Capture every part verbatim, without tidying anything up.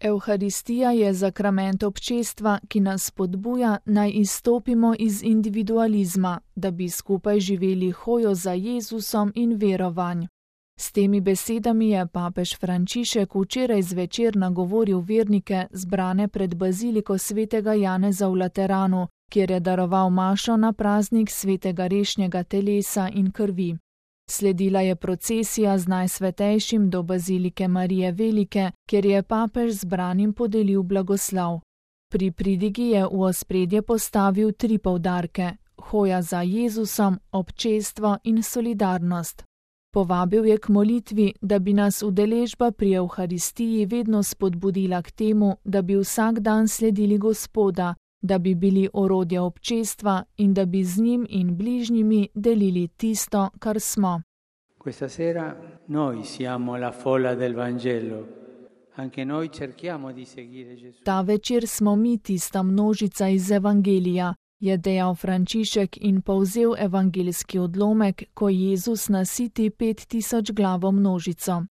Evharistija je zakrament občestva, ki nas spodbuja, naj izstopimo iz individualizma, da bi skupaj živeli hojo za Jezusom in verovanj. S temi besedami je papež Frančišek včeraj zvečer nagovoril vernike zbrane pred baziliko svetega Janeza v Lateranu, kjer je daroval mašo na praznik svetega rešnjega telesa in krvi. Sledila je procesija z najsvetejšim do bazilike Marije Velike, kjer je papež zbranim podelil blagoslov. Pri pridigi je v ospredje postavil tri poudarke: hoja za Jezusom, občestvo in solidarnost. Povabil je k molitvi, da bi nas udeležba pri Evharistiji vedno spodbudila k temu, da bi vsak dan sledili Gospoda, da bi bili orodje občestva in da bi z njim in bližnjimi delili tisto, kar smo. Questa sera noi siamo la folla del Vangelo. Anche noi cerchiamo di seguire Gesù. Ta večer smo mi tista množica iz Evangelija, je dejal Frančišek in povzel evangeljski odlomek, ko Jezus nasiti pet tisoč glavo množico.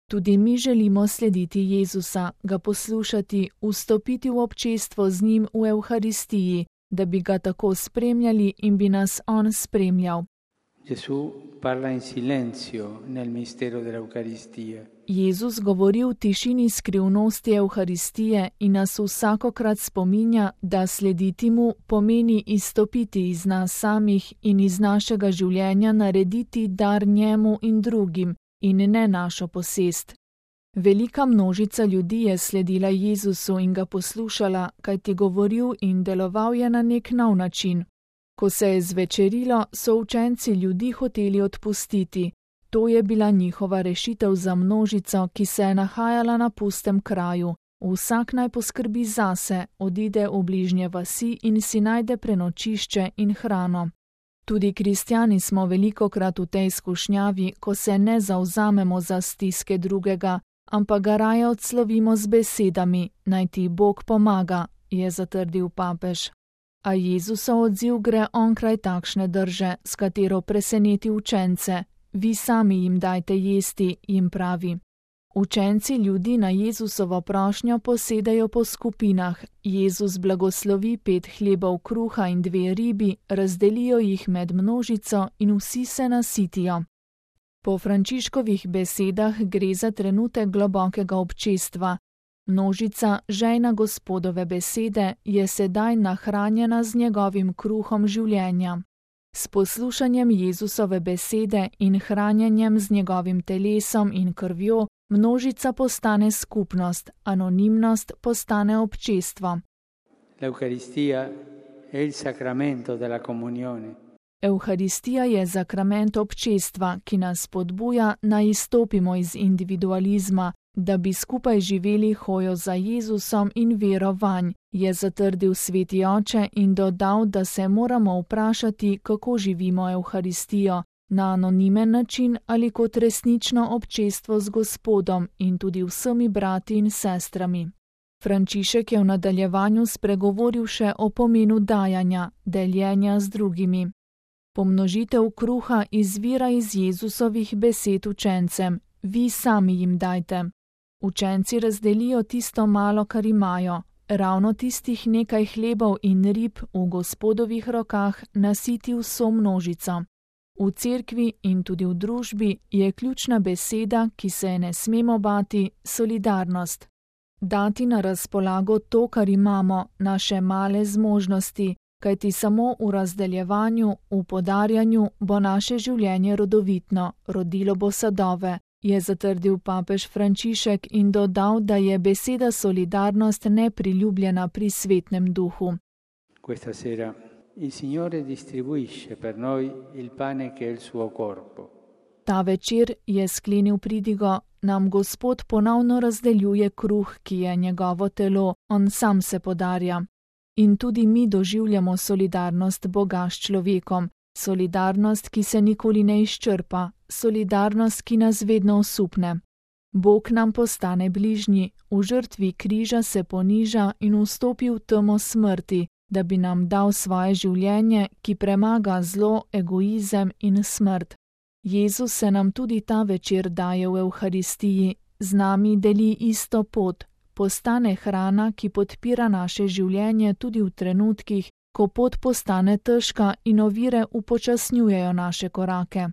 Tudi mi želimo slediti Jezusa, ga poslušati, vstopiti v občestvo z njim v Evharistiji, da bi ga tako spremljali in bi nas on spremljal. Gesù parla in silenzio nel mistero dell'Eucaristia. Jezus govori v tišini skrivnosti Evharistije in nas vsakokrat spominja, da slediti mu pomeni izstopiti iz nas samih in iz našega življenja narediti dar njemu in drugim in ne našo posest. Velika množica ljudi je sledila Jezusu in ga poslušala, kajti govoril in deloval je na nek nov način. Ko se je zvečerilo, so učenci ljudi hoteli odpustiti. To je bila njihova rešitev za množico, ki se je nahajala na pustem kraju. Vsak naj poskrbi zase, odide v bližnje vasi in si najde prenočišče in hrano. Tudi kristjani smo velikokrat v tej skušnjavi, ko se ne zavzamemo za stiske drugega, ampak ga raje odslovimo z besedami: naj ti Bog pomaga, je zatrdil papež. A Jezusov odziv gre onkraj takšne drže, s katero preseneti učence. Vi sami jim dajte jesti, jim pravi. Učenci ljudi na Jezusovo prošnjo posedajo po skupinah. Jezus blagoslovi pet hlebov kruha in dve ribi, razdelijo jih med množico in vsi se nasitijo. Po Frančiškovih besedah gre za trenutek globokega občestva. Množica, žejna Gospodove besede, je sedaj nahranjena z njegovim kruhom življenja. S poslušanjem Jezusove besede in hranjenjem z njegovim telesom in krvjo, množica postane skupnost, anonimnost postane občestvo. L'Eucaristia è il sacramento della comunione. Evharistija je zakrament občestva, ki nas spodbuja, naj izstopimo iz individualizma, da bi skupaj živeli hojo za Jezusom in vero vanj, je zatrdil sveti oče in dodal, da se moramo vprašati, kako živimo Evharistijo, na anonimen način ali kot resnično občestvo z Gospodom in tudi vsemi brati in sestrami. Frančišek je v nadaljevanju spregovoril še o pomenu dajanja, deljenja z drugimi. Pomnožitev kruha izvira iz Jezusovih besed učencem: vi sami jim dajte. Učenci razdelijo tisto malo, kar imajo. Ravno tistih nekaj hlebov in rib v Gospodovih rokah nasiti vso množico. V cerkvi in tudi v družbi je ključna beseda, ki se je ne smemo bati, solidarnost. Dati na razpolago to, kar imamo, naše male zmožnosti, kajti samo v razdeljevanju, v podarjanju bo naše življenje rodovitno, rodilo bo sadove, je zatrdil papež Frančišek in dodal, da je beseda solidarnost nepriljubljena pri svetnem duhu. Questa sera il Signore distribuisce per noi il pane che è il suo corpo. Ta večer, je sklenil pridigo, nam Gospod ponovno razdeljuje kruh, ki je njegovo telo, on sam se podarja. In tudi mi doživljamo solidarnost Boga s človekom, solidarnost, ki se nikoli ne izčrpa, solidarnost, ki nas vedno osupne. Bog nam postane bližnji, v žrtvi križa se poniža in vstopi v temo smrti, da bi nam dal svoje življenje, ki premaga zlo, egoizem in smrt. Jezus se nam tudi ta večer daje v Evharistiji, z nami deli isto pot, postane hrana, ki podpira naše življenje tudi v trenutkih, ko pot postane težka in ovire upočasnjujejo naše korake.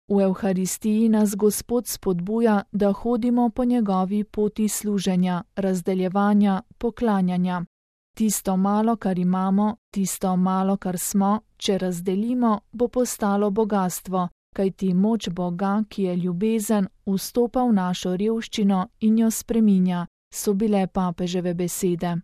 V Evharistiji nas Gospod spodbuja, da hodimo po njegovi poti služenja, razdeljevanja, poklanjanja. Tisto malo, kar imamo, tisto malo, kar smo, če razdelimo, bo postalo bogastvo, kajti moč Boga, ki je ljubezen, vstopa v našo revščino in jo spreminja, so bile papeževe besede.